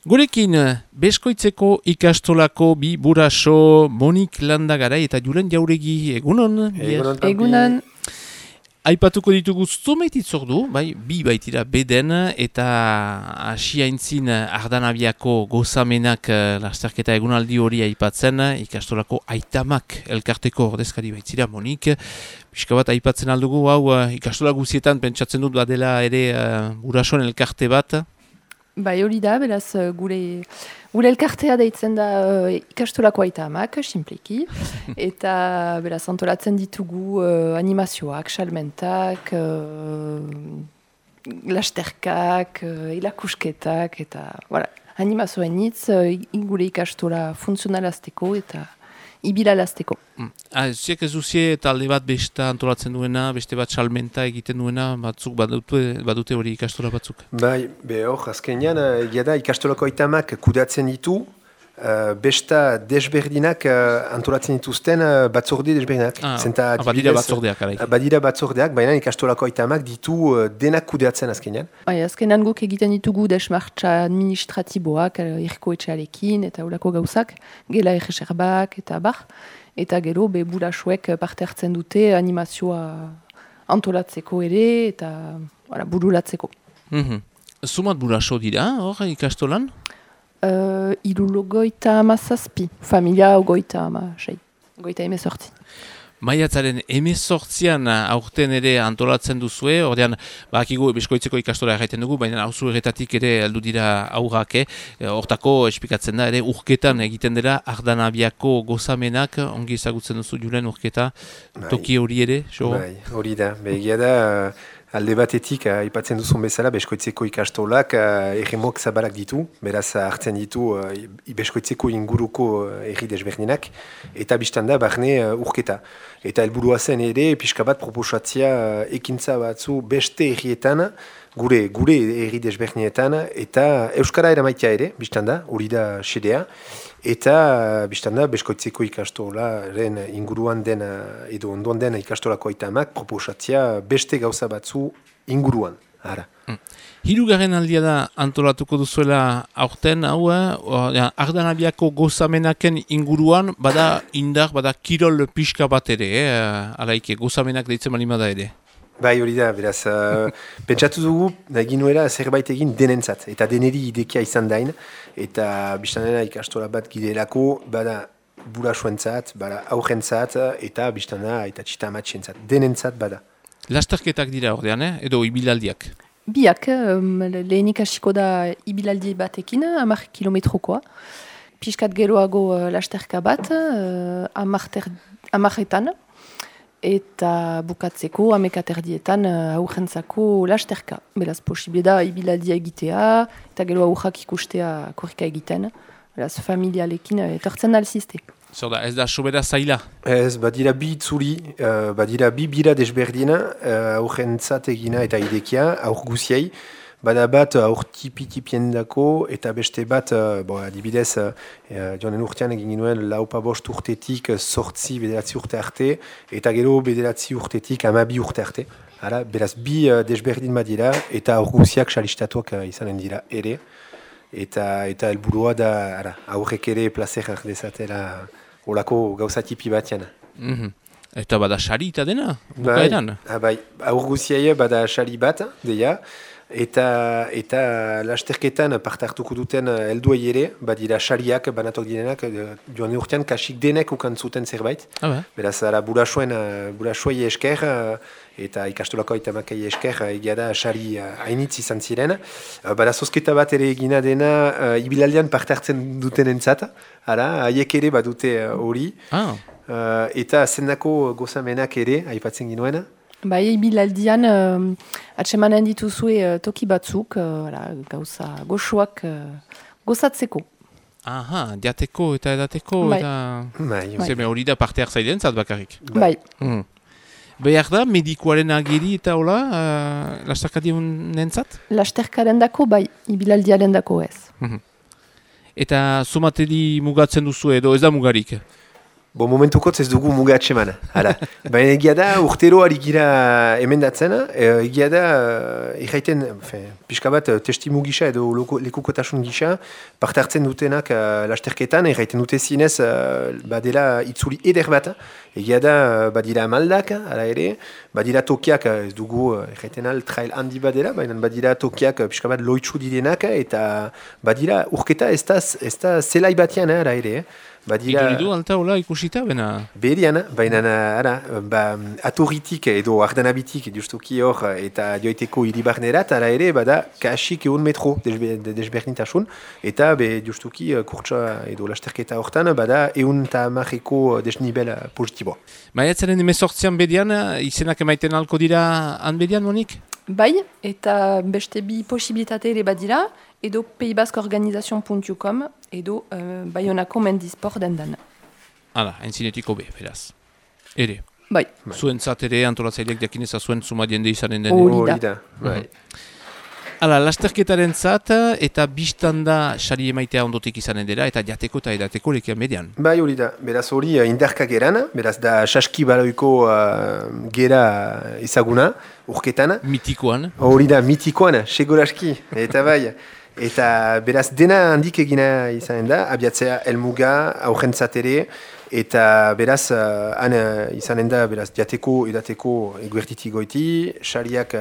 Gurekin, Beskoitzeko ikastolako bi buraso Monik Landagarai eta Julen Jauregi, egunon? Egunon. Aipatuko ditugu zumeititzordu, bi baitira beden eta asiaintzin Ardanabiako gozamenak lasterketa egunaldi hori aipatzen, ikastolako aitamak elkarteko ordezkari baitzira Monik. Pixka bat aipatzen aldugu, ikastola guzietan pentsatzen dut badela ere burasoen elkarte bat. Hori da, beraz, gure elkartea deitzen da ikastolako aitamak, simpleki, eta beraz, antolatzen ditugu animazioak, salmentak, lasterkak, ilakusketak, eta animazioen hitz, gure ikastola funtzionalazteko eta ibilalazteko. Ziek ez duzie talde bat besta antolatzen duena, beste bat salmenta egiten duena, batzuk badute hori ikastola batzuk? Hor, azkenean, egia da ikastolako aitamak kudeatzen ditu, besta desberdinak antolatzen dituzten batzorde desberdinak. Badira batzordeak. Badira batzordeak, baina ikastolako aitamak ditu denak kudeatzen azkenean. Azkenean guk egiten ditugu desmartza administratiboak, irko etxearekin eta horako gauzak, gela erreserbak eta bar. Eta gero, burasoek parte hartzen dute animazioa antolatzeko ere eta bururatzeko. Zumat buraso dira, hor, ikastolan? Goita amazazpi, familia goita amasei, goita emezortzi. Maiatzaren emezortzian aurten ere antolatzen duzue, ordean, bakigu Beskoitzeko ikastola erraiten dugu, baina hauzu erretatik ere aldu dira aurrak, hortako esplikatzen da, ere urketan egiten dela Ardanabiako gozamenak, ongi ezagutzen duzu Julen urketa, toki hori ere, so? Hori da, begia da, alde batetik, aipatzen duzun bezala, Beskoitzeko ikastolak erremok zabalak ditu, beraz hartzen ditu Beskoitzeko inguruko erri desberdinak, eta biztan da, barne urketa. Eta helburua zen ere, pixka bat proposatzea ekintza batzu beste errietan, gure erri desberdinetan, eta Euskara eramaitea ere, biztan da, hori da xedea, eta biztan da, Beskoitzeko ikastolaren inguruan den, edo ondoan den ikastolako aitamak proposatzea beste gauza batzu inguruan. Hirugarren aldia da antolatuko duzuela aurten, Ardanabiako gozamenaken inguruan, bada indar, bada kirol pixka bat ere, alaike gozamenak deitzen malimada ere. Hori da, beraz, pentsatu dugu, egin nuera zerbait egin denentzat, eta deneri idekia izan dain, eta biztanena ikastola bat gidelako, bada burasoentzat, bada aurrentzat, eta biztanena eta txitamatxentzat, denentzat bada. Lasterketak dira ordean, edo ibilaldiak? Biak, lehenik hasiko da ibilaldi batekin, 10 kilometrokoa. Piskat geroago lasterka bat, 10etan, eta bukatzeko 11erdietan aurrentzako lasterka. Beraz, posible da ibilaldia egitea, eta gero aurrak ikustea korrika egiten. Beraz, familialekin etortzen alzizte. Zer da, ez da sobera zaila? Ez, badira bi itzuli, badira bi bira desberdina, aurrentzat egina eta idekia, aur guziei, bada bat aur tipi-tipien dako, eta beste bat, adibidez, joanen urtean egin ginuen laupa bost urtetik, sortzi bederatzi urte arte, eta gero bederatzi urtetik 12 urte arte. Beraz, bi desberdin badira, eta aur guziak salistatuak izanen dira ere, eta helburua da, aurrek ere placer dezatela, olako gauza tipi batean. Eta bada sari eta dena? Bukaeran? Aur guziai bada sari bat, deia, eta lasterketan parte hartuko duten helduei ere, badira sariak banatok direnak, joan urtean kasik denek ukantzuten zerbait. Beraz, burasoei esker, eta ikastolako aitamakai esker, egia da sari hainitz izan ziren. Bada zozketa bat ere egina dena, ibilaldean parte hartzen duten entzat, haiek ere badute hori, eta zendako gozamenak ere, aipatzen ginoena. Ibilaldian atsemanen dituzue toki batzuk, gauza goxoak gozatzeko. Diateko eta edateko, eta hori da parte hartzailean zat bakarrik. Behar da, medikoaren agiri eta hola, lasterkadien nentzat? Lasterkaren dako, ibilaldiaren dako ez. Eta somateri mugatzen duzu edo ez da mugarik? Momentukotz ez dugu muga atseman. Baina egia da, urtero ari gira emendatzen, egia da, erraiten, pixka bat, testimu gisa edo lekukotasun gisa, parte hartzen dutenak lasterketan, erraiten dute zinez, badela itzuli eder bat, egia da, badira maldak, ala ere, badira tokiak, ez dugu, erraiten trail handi badela, baina badira tokiak pixka bat loitsu direnak, eta badira urketa ez da zelai batian, ala ere, Iduridu alta hola ikusita, bena? Berian, baina atorritik edo ardanabitik justuki hor eta joiteko hiribarnerat, ala ere, bada kasik egun metro desberdintasun, eta justuki kurtsa edo lasterketa hortan, bada egun eta marreko desnibel positiboa. Maiatzaren 18an bedian, izenak emaiten alko dira han bedian, Monik? Bai, eta beste bi posibilitate ere badira, edo paysbasqueorganisation.com, edo Bayonako mendisport dendan. Hala, entzinetiko be, beraz. Ere. Bai. Zuen ere antolatzaileak jakineza zuen suma jende izanen den. Hori da, bai. Hala, lasterketaren zat, eta biztanda sari emaitea ondotik izanen dela, eta jateko eta edateko lekian median. Bai, hori da. Beraz hori indarka geran, beraz da saski baloiko gera ezaguna, urketan. Mitikoan. Hori da, mitikoan, seguraski, eta bai. Eta beraz dena handik egina izanen da, abiatzea elmuga, aurrentzat ere, eta beraz han izanen da, beraz jateko, edateko eguertitik goiti, sariak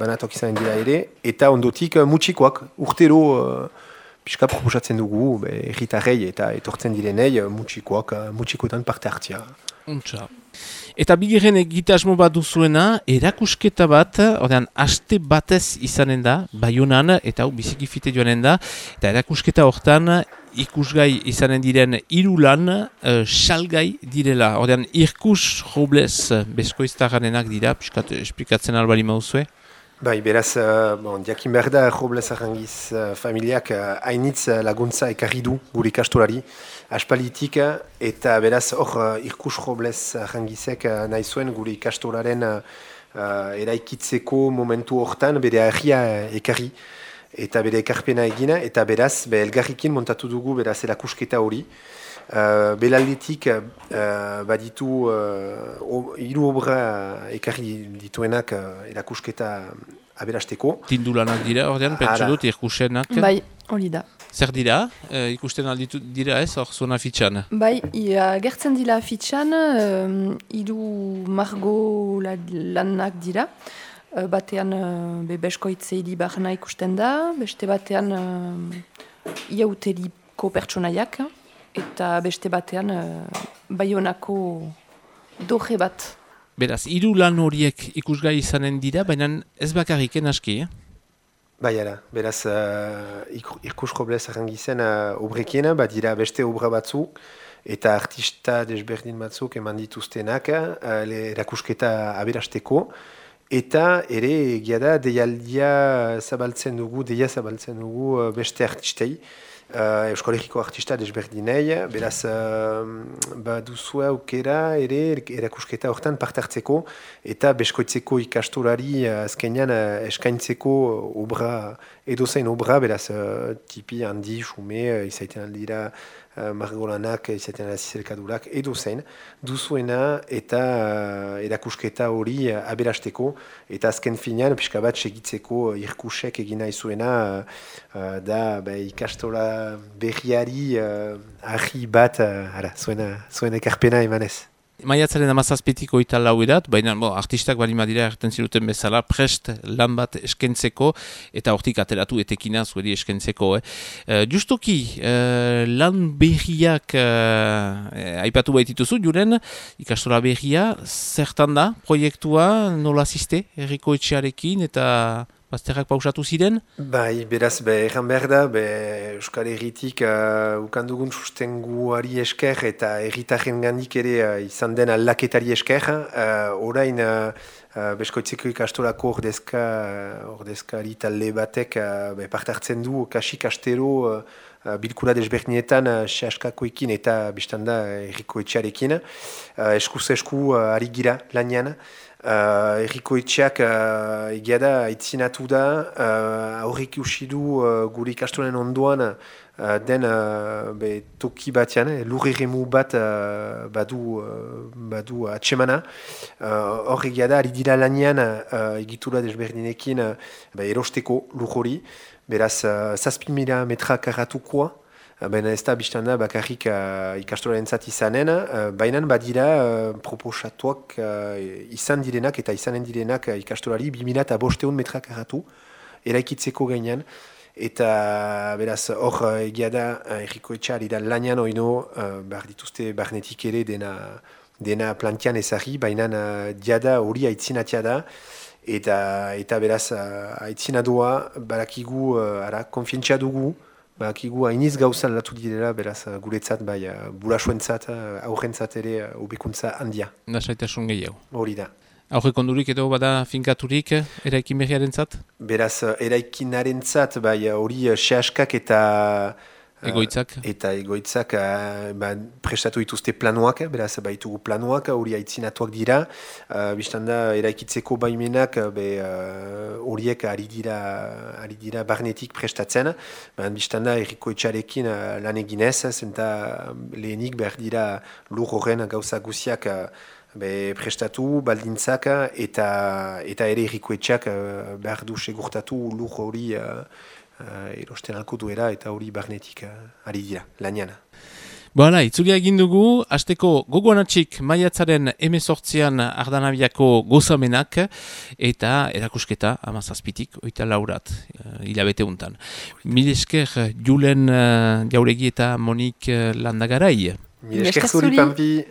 banatok izanen dira ere, eta ondotik mutxikoak, urtero pixka proposatzen dugu, erritarrei eta etortzen direnei mutxikoetan parte hartzia. Untsa. Eta bigarren egitasmo bat duzuena, erakusketa bat, ordean, aste batez izanen da, Baionan, eta hau biziki fite joanen da, eta erakusketa hortan ikusgai izanen diren 3 lan, salgai direla. Ordean, Irkus Robles bezkoiztaranenak dira, piskat esplikatzen albali mauzue. Bai, beraz, diakin behar da, Robles Arrangiz familiak hainitz laguntza ekarri du gure ikastolari, aspalitik, eta beraz, hor, Irkus Robles Arrangizek nahi zuen gure ikastolaren eraikitzeko momentu hortan bere ahia ekarri, eta bere ekarpena egina, eta beraz, elgarrikin montatu dugu beraz erakusketa hori. Belaldetik baditu 3 obra ekarri dituenak erakusketa aberasteko. Tindulanak dira, ordean, pentsu dut, irkusenak. Bai, hori da. Zer dira? Ikusten alditu dira ez, hor zona fitxan? Bai, gertzen dira fitxan, 3 margo lanak dira. Batean beskoitze hilibarna ikusten da, beste batean iauteriko pertsonaiak, eta beste batean Baionako doje bat. Beraz, 3 lan horiek ikusgai izanen dira, baina ez bakarriken aski, Bai, beraz, Irkus Robles Arrangizen obrekiena, dira beste obra batzuk, eta artista desberdin batzuk eman dituztenak erakusketa aberasteko, eta ere egia da deia zabaltzen dugu beste artistei, Euskal Herriko artista desberdinei, beraz baduzue aukera ere erakusketa hortan parte hartzeko eta beskoitzeko ikastolari azkenean eskaintzeko obra, edozein obra, beraz tipi handi, xume, izaiten aldira margolanak, izaiten aldizelkadurak, edozein duzuena eta erakusketa hori aberasteko eta azken finean pixka bat segitzeko irkusek egina izuena da ikastola berriari ahi bat zuen ekarpena emanez. Maiatzaren 17ko eta 4 edat, baina artistak bali madira erten ziruten bezala prest lan bat eskentzeko eta hortik ateratu etekina zuedi eskentzeko. Justoki, lan berriak aipatu baitituzu, juren ikastola berria, zertan da proiektua, nola ziste, herriko etxearekin eta bazterrak pausatu ziren? Bai, beraz, erran behar da, Euskal Herritik ukandugun sustenguari esker eta herritarren gandik ere izan den aldaketari esker. Orain, beskoitzeko ikastolako ordezkari talde batek parte hartzen du kasik astero bilkura desberdinetan sehaskakoekin eta biztanda herriko etxearekin. Eskuz esku ari gira lanian. Errikoetxeak egia da aitzinatu da, aurrik usidu gure ikastolen ondoan den toki batean, lurreremu bat badu atsemana. Hor egia da, ari dira lanean egitura desberdinekin erosteko lur hori, beraz 6.000 metra karratukoa, baina ez da biztan da bakarrik ikastolentzat izanen, baina badira proposatuak izan direnak eta izanen direnak ikastolari 2.500 metra karratu eraikitzeko gainean. Eta beraz hor egia da errikoetxea ari da lanean oino behar dituzte barnetik ere dena plantian ezari, baina diada hori aitzinatia da. Eta beraz aitzinadoa barakigu konfientzia dugu, barakigu hainiz gauzan latu direla, beraz guretzat, burasuentzat, aurrentzat ere hobekuntza handia. Lasaitasun gehiago. Hori da. Aurrekondurik edo bada finkaturik eraikin berriarentzat? Beraz eraikinarentzat hori sehaskak eta egoitzak prestatu dituzte planuak, beraz baitugu planuak, hori aitzinatuak dira. Bistan da eraikitzeko baimenak horiek ari dira barnetik prestatzen. Bistan da errikoetxarekin lan eginez, zenta lehenik behar dira lur horren gauza guziak prestatu, baldintzak eta ere errikoetxeak behar du segurtatu lur hori erosten alko duera eta hori barnetik ari dira, lanean. Boala, itzulia egin dugu, hasteko gogoanatxik maiatzaren 18an Ardanabiako gozamenak eta erakusketa 17tik 24 hilabete untan. Mil esker Julen Jauregi eta Monik Landagarai. Mil esker zuri, Pampi.